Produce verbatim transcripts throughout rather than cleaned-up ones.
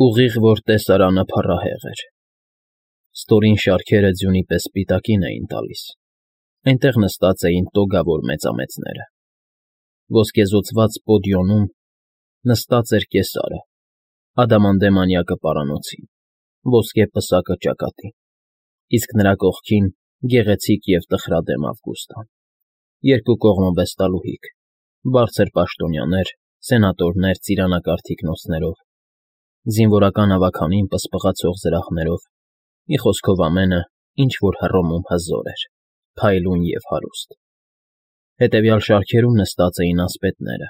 Ուղիղ որ տեսարանը փառահեղ էր։ Ստորին շարքերը ձյունի պես սպիտակին էին տալիս, այնտեղ նստած էին տոգավոր մեծամեծները։ Ոսկեզօծված պոդիոնում նստած էր կեսարը, ադամանդե մանյակը պարանոցին, ոսկե պսակը ճակատին, իսկ նրա կողքին գեղեցիկ և տխրադեմ Ավգուստան, երկու կողմը վեստալուհիք, բարձր պաշտոնյաներ, սենատորներ ծիրանակարգ թիկնոցներով, զինվորական ավագանին պսպղացող զրահներով, մի խոսքով ամենը, ինչ որ Հռոմում հզոր էր, փայլուն և հարուստ։ Հետևյալ շարքերում նստած էին ասպետները,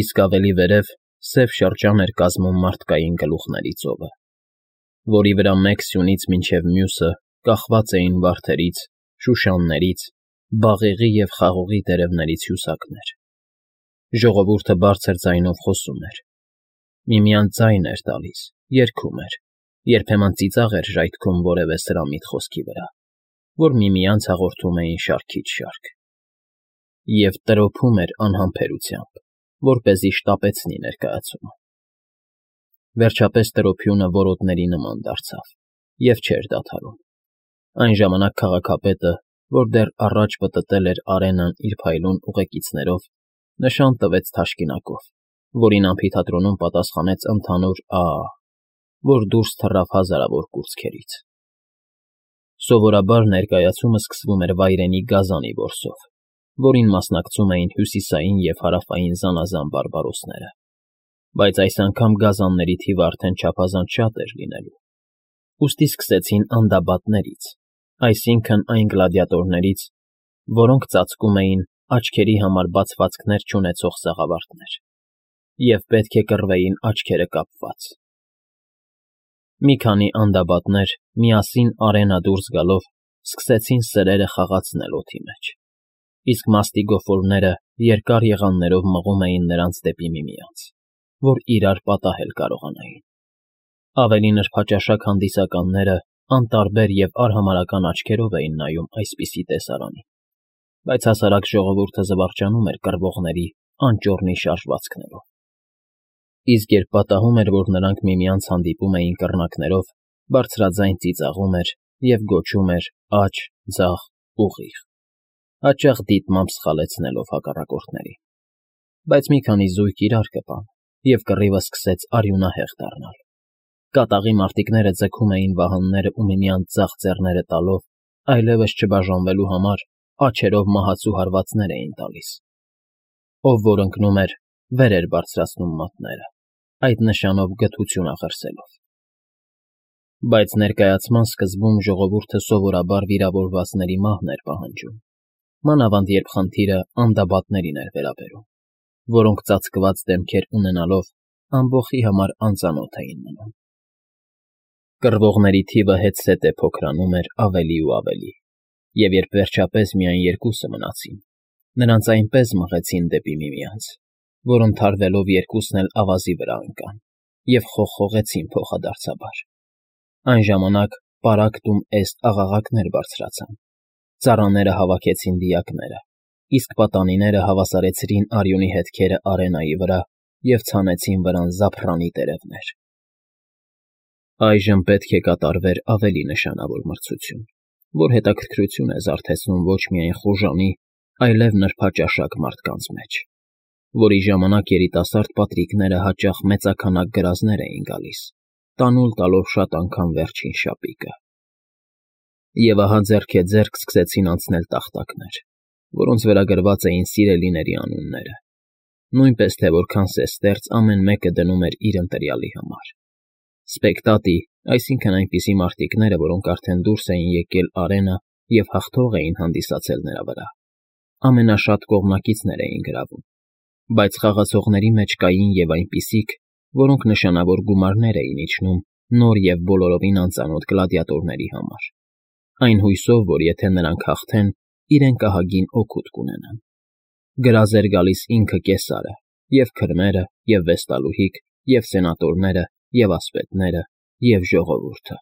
իսկ ավելի վերև սև շրջան էր կազմում մարդկային գլուխների ծովը, որի վրա մեկ սյունից մինչև մյուսը կախված էին վարդերից, շուշաններից, բաղեղի և խաղողի տերևներից հյուսակներ։ Ժողովուրդը բարձր ձայնով խոսում էր, միմյանց ձայն էր տալիս, երգում էր, երբեմն ծիծաղ էր ժայթքում որևէ սրամիտ խոսքի վրա, որ միմյանց հաղորդում էին շարքից շարք, և տրոփում էր անհամբերությամբ, որպեսզի շտապեցնի ներկայացումը։ Վերջապես տրոփյունը որոտների նման դարձավ և չէր դադարում։ Այն ժամանակ քաղաքապետը, որ դեռ առաջ պտտել էր Արենան իր փայլուն ուղեկիցներով, նշան տվեց թաշկինակով, որին ամֆիթատրոնում պատասխանեց ընդհանուր «ա՜», որ դուրս թռավ հազարավոր կուրծքերից։ Սովորաբար ներկայացումը սկսվում էր վայրենի գազանի որսով, որին մասնակցում էին հյուսիսային և հարավային զանազան բարբարոսները, բայց այս անգամ գազանների թիվը արդեն չափազանց շատ էր լինելու, ուստի սկսեցին անդաբատներից, այսինքն՝ այն գլադիատորներից, որոնք ծածկում էին աչքերի համար բացվածքներ չունեցող սաղավարտներ և պետք է կռվեին աչքերը կապված։ Մի քանի անդաբատներ, միասին Արենա դուրս գալով, սկսեցին սրերը խաղացնել օդի մեջ, իսկ մաստիգոֆոլները երկար եղաններով մղում էին նրանց դեպի միմյանց, որ իրար պատահել կարողանային։ Ավելի նրբաճաշակ հանդիսականները անտարբեր և արհամարհական աչքերով էին նայում այսպիսի տեսարանին, բայց հասարակ ժողովուրդը զվարճանում էր կռվողների անճոռնի շարժվածքներով։ Իսկ երբ պատահում էր, որ նրանք միմյանց հանդիպում էին կռնակներով, բարձրաձայն ծիծաղում էր և գոչում էր աջ, ձախ, ուղիղ, հաճախ դիտմամբ սխալեցնելով հակառակորդներին։ Բայց մի քանի զույգ իրար կպան, և կռիվը սկսեց արյունահեղ դառնալ։ Կատաղի մարտիկները ձգում էին վահանները ու միմյանց ձախ ձեռները տալով, այլևս չբաժանվելու համար աջերով մահացու հարվածներ էին տալիս։ Ով որ ընկնում էր, վեր էր բարձրացնում մատները, այդ նշանով գթություն աղերսելով։ Բայց ներկայացման սկզբում ժողովուրդը սովորաբար վիրավորվածների մահն էր պահանջում, մանավանդ երբ խնդիրը անդաբատներին էր վերաբերում, որոնք ծածկված դեմքեր ունենալով ամբոխի համար անծանոթ էին մնում։ Կռվողների թիվը հետզհետե փոքրանում էր ավելի ու ավելի, և երբ վերջապես միայն երկուսը մնացին, նրանց այնպես մղեցին դեպի միմյանց, որ ընդհարվելով երկուսն էլ ավազի վրա ընկան և խողխողեցին փոխադարձաբար։ Այն ժամանակ պարակ տում էստ աղաղակներ բարձրացան, ծառաները հավաքեցին դիակները, իսկ պատանիները հավասարեցրին արյունի հետքերը Արենայի վրա և ցանեցին վրան զափռանի տերևներ։ Այժմ պետք է կատարվեր ավելի նշանավոր մրցություն, որ հետաքրքրություն է զարթեցնում ոչ միայն խուժանի, այլև նրբաճաշակ մարդկանց մեջ, որի ժամանակ երիտասարդ պատրիկները հաճախ մեծաքանակ գրազներ էին գալիս, տանուլ տալով շատ անգամ վերջին շապիկը։ Եվ ահա ձեռքեձեռք սկսեցին անցնել տախտակներ, որոնց վրա գրված էին սիրելիների անունները, նույնպես թե որքան սեստերծ ամեն մեկը դնում էր իր ընտրյալի համար։ Սպեկտատի, այսինքն այնպիսի մարտիկները, որոնք արդեն դուրս էին եկել Արենա և հաղթող էին հանդիսացել նրա վրա, ամենաշատ կողմնակիցներ էին գրավում, բայց խաղացողների մեջ կային և այնպիսիք, որոնք նշանավոր գումարներ էին իջնում նոր և բոլորովին անծանոթ գլադիատորների համար, այն հույսով, որ եթե նրանք հաղթեն, իրենք ահագին օգուտ կունենան։ Գրազ էր գալիս ինքը կեսարը, և քրմերը, և վեստալուհիք, և սենատորները, և ասպետները, և ժողովուրդը։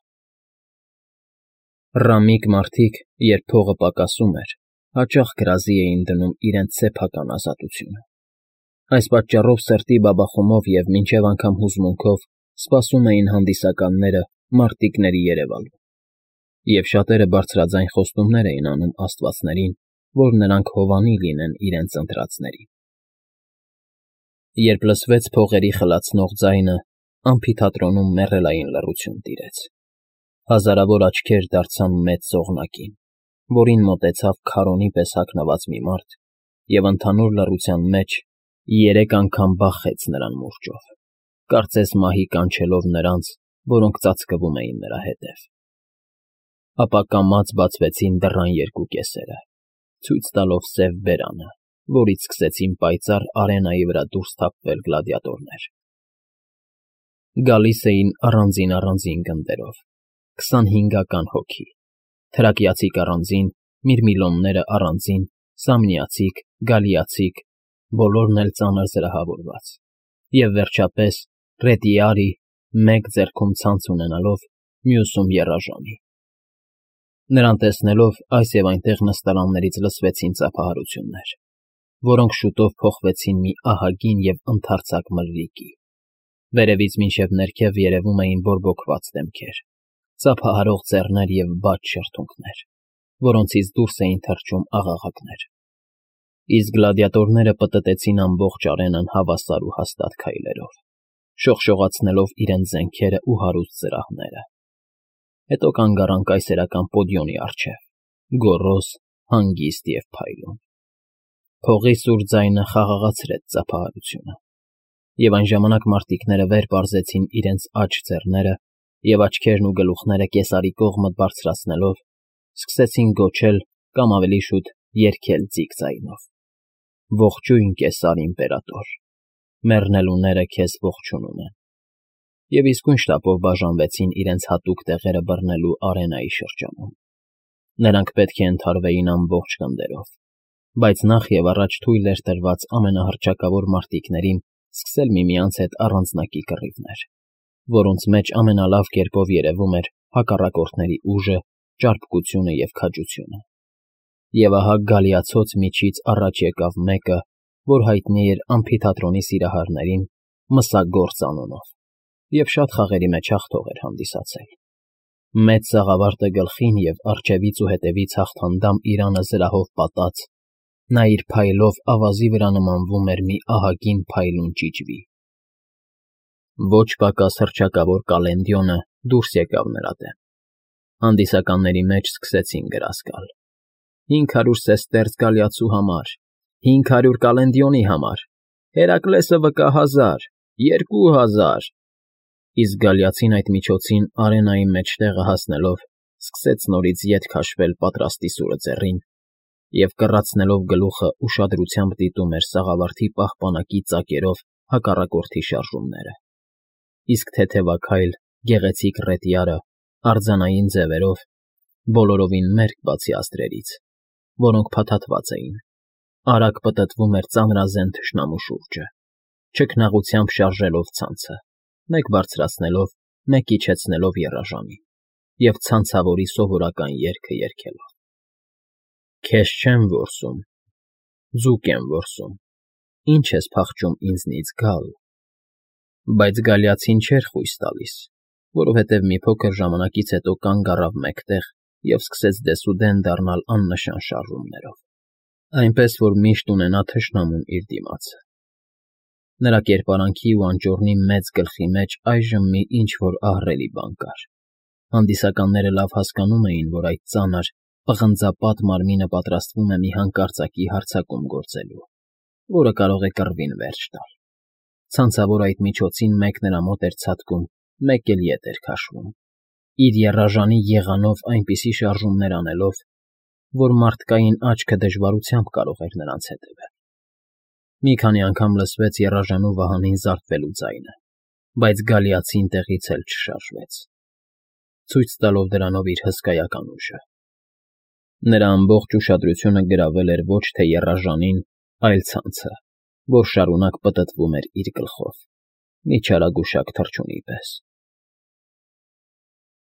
Ռամիկ մարդիկ, երբ փողը պակասում էր, հաճախ գրազի էին դնում իրենց սեփական ազատությունը։ Այս պատճառով սրտի բաբախումով և մինչև անգամ հուզմունքով սպասում էին հանդիսականները մարտիկների երևալուն, և շատերը բարձրաձայն խոստումներ էին անում աստվածներին, որ նրանք հովանի լինեն իրենց ընտրածներին։ Երբ լսվեց փողերի խլացնող ձայնը, ամֆիթատրոնում մեռելային լռություն տիրեց։ Հազարավոր աչքեր դարձան մեծ ծողնակին, որին մոտեցավ քարոնի պես հագնված մի մարդ և ընդհանուր լռության մեջ երեք անգամ բախեց նրան մուրճով, կարծես մահի կանչելով նրանց, որոնք ծածկվում էին նրա հետև։ Ապա կամաց բացվեցին դռան երկու կեսերը, ցույց տալով սև բերանը, որից սկսեցին պայծառ արենայի վրա դուրս թափվել գլադիատորներ։ Գալիս էին առանձին֊առանձին գնդերով, քսանհինգական հոգի, թրակիացիք առանձին, միրմիլոնները առանձին, սամնիացիք, գալիացիք, բոլորն էլ ծանր զրահավորված, և, վերջապես, ռետիարի, մեկ ձեռքում ցանց ունենալով, մյուսում՝ եռաժանի։ Նրան տեսնելով այս և այնտեղ նստարաններից լսվեցին ծափահարություններ, որոնք շուտով փոխվեցին մի ահագին և ընդարձակ մրրիկի։ Վերևից մինչև ներքև երևում էին բորբոքված դեմքեր, ծափահարող ձեռներ և բաց շրթունքներ, որոնցից դուրս էին թռչում աղաղակներ։ Իսկ գլադիատորները պտտեցին ամբողջ արենան հավասար ու հաստատ քայլերով, շողշողացնելով իրենց զենքերն ու հարուստ զրահները։ Հետո կանգ առան կայսերական պոդիոմի առջև, գոռոզ, հանգիստ և փայլուն։ Փողի սուր ձայնը խաղաղացրեց ծափահարությունը, և այն ժամանակ մարտիկները վեր պարզեցին իրենց աջ ձեռները և աչքերն ու գլուխները կեսարի կողմը բարձրացնելով, սկսեցին գոչել կամ ավելի շուտ երգել ձիգ ձայնով. «Ողջույն, Կեսար իմպերատոր, մեռնելուները քեզ ողջունում են», և իսկույն շտապով բաժանվեցին իրենց հատուկ տեղերը բռնելու արենայի շրջանում։ Նրանք պետք է ընդհարվեին ամբողջ գնդերով, բայց նախ և առաջ թույլ էր տրված ամենահռչակավոր մարտիկներին սկսել միմյանց հետ առանձնակի կռիվներ, որոնց մեջ ամենալավ կերպով երևում էր հակառակորդների ուժը, ճարպկությունը և քաջությունը։ Եվ ահա գալիացոց միջից առաջ եկավ մեկը, որ հայտնի էր ամֆիթատրոնի սիրահարներին Մսագործ անունով, և շատ խաղերի մեջ հաղթող էր հանդիսացել։ Մեծ սաղավարտը գլխին և առջևից ու հետևից հաղթանդամ իրանը զրահով պատած, նա իր փայլով ավազի վրա նմանվում էր մի ահագին փայլուն ճիճվի։ Ոչ պակաս հռչակավոր Կալենդիոնը դուրս եկավ նրա դեմ։ Հանդիսականների մեջ սկսեցին գրազ գալ. «Հինգ հարյուր սեստերց գալիացու համար, հինգ հարյուր Կալենդիոնի համար, Հերակլեսը վկա հազար, երկու հազար»։ Իսկ գալիացին այդ միջոցին արենայի մեջտեղը հասնելով սկսեց նորից ետ քաշվել պատրաստի սուրը ձեռին և, կռացնելով գլուխը, ուշադրությամբ դիտում էր սաղավարտի պահպանակի ծակերով հակառակորդի շարժումները։ Իսկ թեթևաքայլ, գեղեցիկ ռետիարը արձանային ձևերով, բոլորովին մերկ բացի աստղերից, որոնք փաթաթված էին, արագ պտտվում էր ծանրազեն թշնամու շուրջը, չքնաղությամբ շարժելով ցանցը, մեկ բարձրացնելով, մեկ իջեցնելով եռաժամին և ցանցավորի սովորական երգը երգելով. Քեզ չեմ որսում, ձուկ եմ որսում, ինչ ես փախչում ինձնից գալ։ Բայց գալիացին չէր խույս տալիս, որովհետև մի փոքր ժամանակից հետո կանգ առավ մեկտեղ և սկսեց դեսուդեն դառնալ աննշան շարժումներով, այնպես որ միշտ ունենա թշնամուն իր դիմացը։ Նրա կերպարանքի ու անճոռնի մեծ գլխի մեջ այժմ մի ինչ֊որ ահռելի բան կար։ Հանդիսականները լավ հասկանում էին, որ այդ ծանր, պղնձապատ մարմինը պատրաստվում է մի հանկարծակի հարձակում գործելու, որը կարող է կռվին վերջ տալ։ Ցանցավոր այդ միջոցին մեկ նրա մոտ էր ցատկում, մեկ էլ ետ էր քաշվում, իր եռաժանի եղանով այնպիսի շարժումներ անելով, որ մարդկային աչքը դժվարությամբ կարող էր նրանց հետևել։ Մի քանի անգամ լսվեց եռաժանու վահանին զարկվելու ձայնը, բայց գալիացին տեղից էլ չշարժվեց, ցույց տալով դրանով իր հսկայական ուժը։ Նրա ամբողջ ուշադրությունը գրավել էր ոչ թե եռաժանին, այլ ցանցը, որ շարունակ պտտվում էր իր գլխով, մի չարագուշակ թռչունի պես։